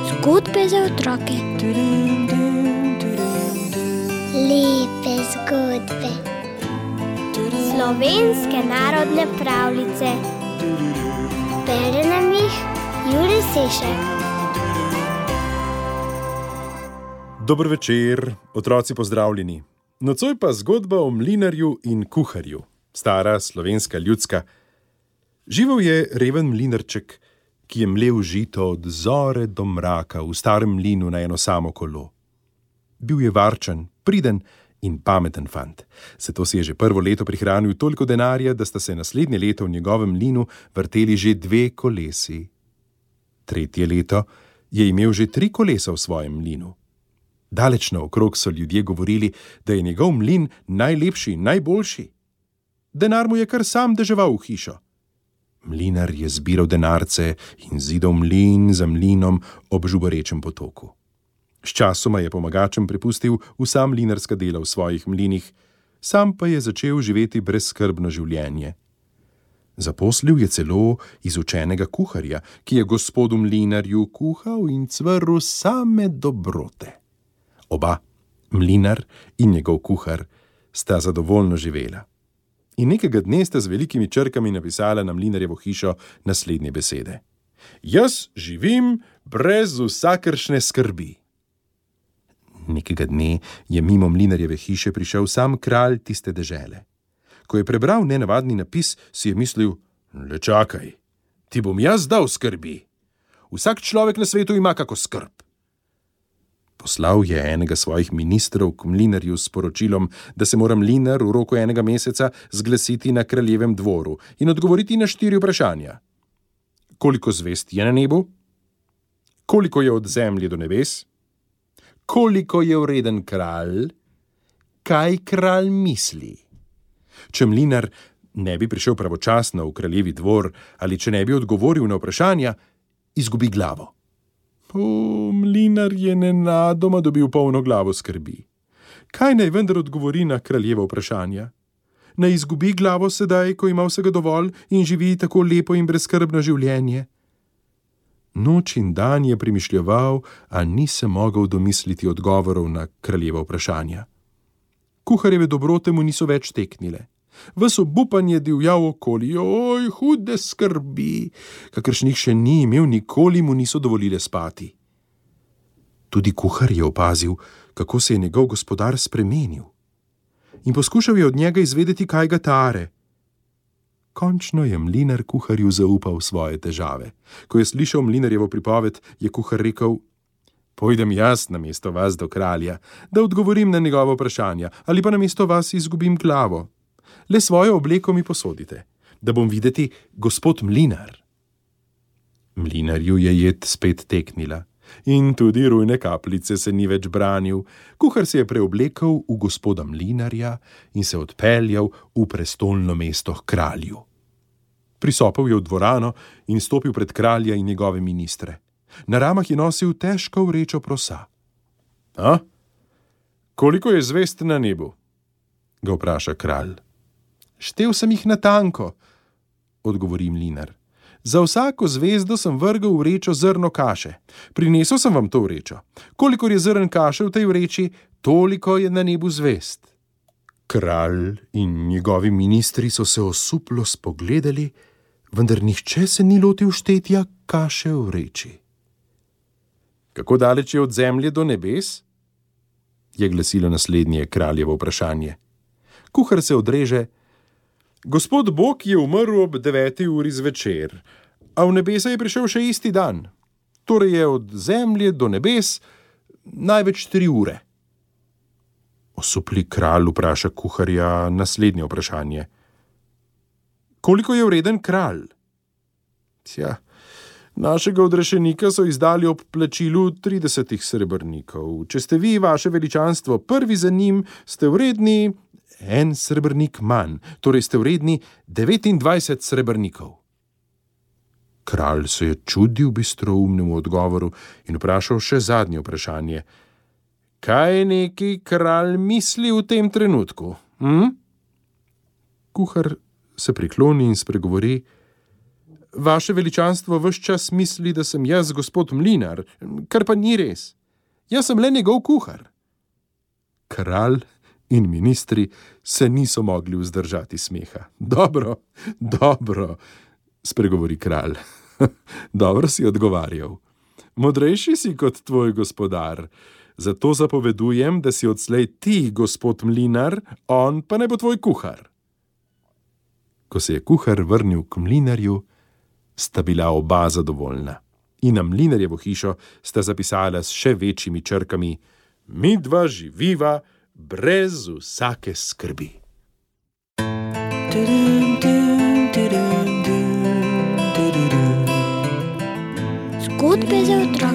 Zgodbe za otroke. Lepe zgodbe. Slovenske narodne pravljice. Bere nam jih Jurij Sešek. Dober večer, otroci pozdravljeni. Nocoj pa zgodba o mlinarju in kuharju, stara slovenska ljudska. Živel je reven mlinarček, ki je mlel žito od zore do mraka v starem mlinu na eno samo kolo. Bil je varčen, priden in pameten fant. Zato si je že prvo leto prihranil toliko denarja, da sta se naslednje leto v njegovem mlinu vrteli že 2 kolesi. Tretje leto je imel že 3 kolesa v svojem mlinu. Daleč naokrog so ljudje govorili, da je njegov mlin najlepši in najboljši. Denar mu je kar sam deževal v hišo. Mlinar je zbiral denarce in zidal mlin za mlinom ob žuborečem potoku. Sčasoma je pomagačem prepustil vsa mlinarska dela v svojih mlinih, sam pa je začel živeti brezskrbno življenje. Zaposlil je celo izučenega kuharja, ki je gospodu mlinarju kuhal in cvrl same dobrote. Oba, mlinar in njegov kuhar, sta zadovoljno živela. In nekega dne sta z velikimi črkami napisala na mlinarjevo hišo naslednje besede. Jaz živim brez vsakršne skrbi. Nekega dne je mimo mlinarjeve hiše prišel sam kralj tiste dežele. Ko je prebral nenavadni napis, si je mislil, le čakaj, ti bom jaz dal skrbi. Vsak človek na svetu ima kako skrb. Poslal je enega svojih ministrov k mlinarju s sporočilom, da se mora mlinar v roku 1 meseca zglasiti na kraljevem dvoru in odgovoriti na 4 vprašanja. Koliko zvezd je na nebu? Koliko je od zemlje do nebes? Koliko je vreden kralj? Kaj kralj misli? Če mlinar ne bi prišel pravočasno v kraljevi dvor ali če ne bi odgovoril na vprašanja, izgubi glavo. Mlinar je nenadoma dobil polno glavo skrbi. Kaj naj vendar odgovori na kraljevo vprašanja? Naj izgubi glavo sedaj, ko ima vsega dovolj in živi tako lepo in brezskrbno življenje? Noč in dan je premišljeval, a ni se mogel domisliti odgovorov na kraljevo vprašanja. Kuharjeve dobrote mu niso več teknile. Ves obupan je divjal okoli, oj, hude skrbi, kakršnih še ni imel, nikoli mu niso dovolile spati. Tudi kuhar je opazil, kako se je njegov gospodar spremenil. In poskušal je od njega izvedeti, kaj ga tare. Končno je mlinar kuharju zaupal svoje težave. Ko je slišal mlinarjevo pripoved, je kuhar rekel, pojdem jaz namesto vas do kralja, da odgovorim na njegovo vprašanja, ali pa namesto vas izgubim glavo. Le svojo obleko mi posodite, da bom videti gospod mlinar. Mlinarju je jed spet teknila in tudi rujne kapljice se ni več branil. Kuhar se je preoblekel v gospoda mlinarja in se odpeljal v prestolno mesto k kralju. Prisopel je v dvorano in stopil pred kralja in njegove ministre. Na ramah je nosil težko vrečo prosa. Koliko je zvezd na nebu? Ga vpraša kralj. Štel sem jih natanko, odgovori mlinar. Za vsako zvezdo sem vrgel v vrečo zrno kaše. Prinesel sem vam to vrečo. Kolikor je zrn kaše v tej vreči, toliko je na nebu zvezd. Kralj in njegovi ministri so se osuplo spogledali, vendar nihče se ni lotil štetja kaše v vreči. Kako daleč je od zemlje do nebes? Je glasilo naslednje kraljevo vprašanje. Kuhar se odreže, gospod Bog je umrl ob 9. uri zvečer, a v nebesa je prišel še isti dan. Torej je od zemlje do nebes največ 3 ure. Osupli kralj vpraša kuharja naslednje vprašanje. Koliko je vreden kralj? Našega odrešenika so izdali ob plačilu 30 srebrnikov. Če ste vi, vaše veličanstvo, prvi za njim, ste vredni 1 srebrnik manj, torej ste vredni 29 srebrnikov. Kralj se je čudil bistroumnemu odgovoru in vprašal še zadnje vprašanje. Kaj neki kralj misli v tem trenutku? Kuhar se prikloni in spregovori. Vaše veličanstvo ves čas misli, da sem jaz gospod Mlinar, kar pa ni res. Jaz sem le njegov kuhar. Kralj in ministri se niso mogli vzdržati smeha. Dobro, spregovori kralj. Dobro si odgovarjal. Modrejši si kot tvoj gospodar, zato zapovedujem, da si odslej ti gospod Mlinar, on pa ne bo tvoj kuhar. Ko se je kuhar vrnil k mlinarju, sta bila oba zadovoljna. In na mlinarjevo hišo sta zapisala s še večjimi črkami: midva živiva brez vsake skrbi. Zgodbe za otroke.